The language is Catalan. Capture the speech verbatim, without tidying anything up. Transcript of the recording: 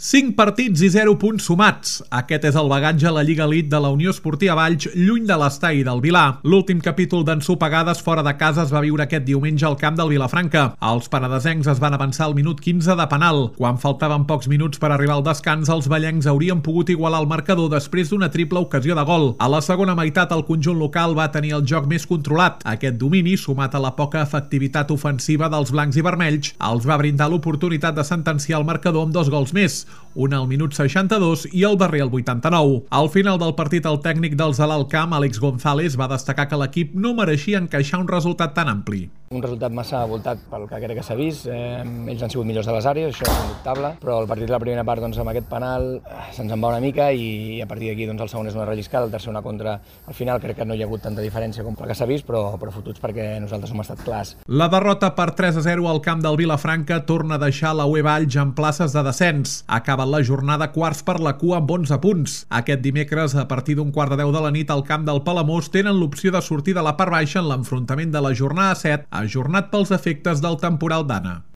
cinc partits i zero punts sumats. Aquest és el bagatge a la Lliga Elite de la Unió Esportiva Valls, lluny de l'estadi del Vilar. L'últim capítol d'ensopegades fora de casa es va viure aquest diumenge al camp del Vilafranca. Els penedesencs es van avançar al minut quinze de penal. Quan faltaven pocs minuts per arribar al descans, els vallencs haurien pogut igualar el marcador després d'una triple ocasió de gol. A la segona meitat, el conjunt local va tenir el joc més controlat. Aquest domini, sumat a la poca efectivitat ofensiva dels blancs i vermells, els va brindar l'oportunitat de sentenciar el marcador amb dos gols més, un al minut seixanta-dos i el darrer al vuitanta-nou. Al final del partit, el tècnic dels de l'Alt Camp, Àlex González, va destacar que l'equip no mereixia encaixar un resultat tan ampli. Un resultat massa voltat pel que crec que s'ha vist. Eh, ells han sigut millors de les àrees, això és indubtable, però el partit de la primera part, doncs, amb aquest penal se'ns en va una mica i a partir d'aquí doncs, el segon és una relliscada, el tercer una contra. Al final crec que no hi ha hagut tanta diferència com el que s'ha vist, però, però fotuts perquè nosaltres hem estat clars. La derrota per tres a zero al camp del Vilafranca torna a deixar la U E Valls en places de descens. Ha acabat la jornada quarts per la cua amb onze punts. Aquest dimecres, a partir d'un quart de deu de la nit, al camp del Palamós tenen l'opció de sortir de la part baixa en l'enfrontament de la jornada set, ajornat pels efectes del temporal d'Anna.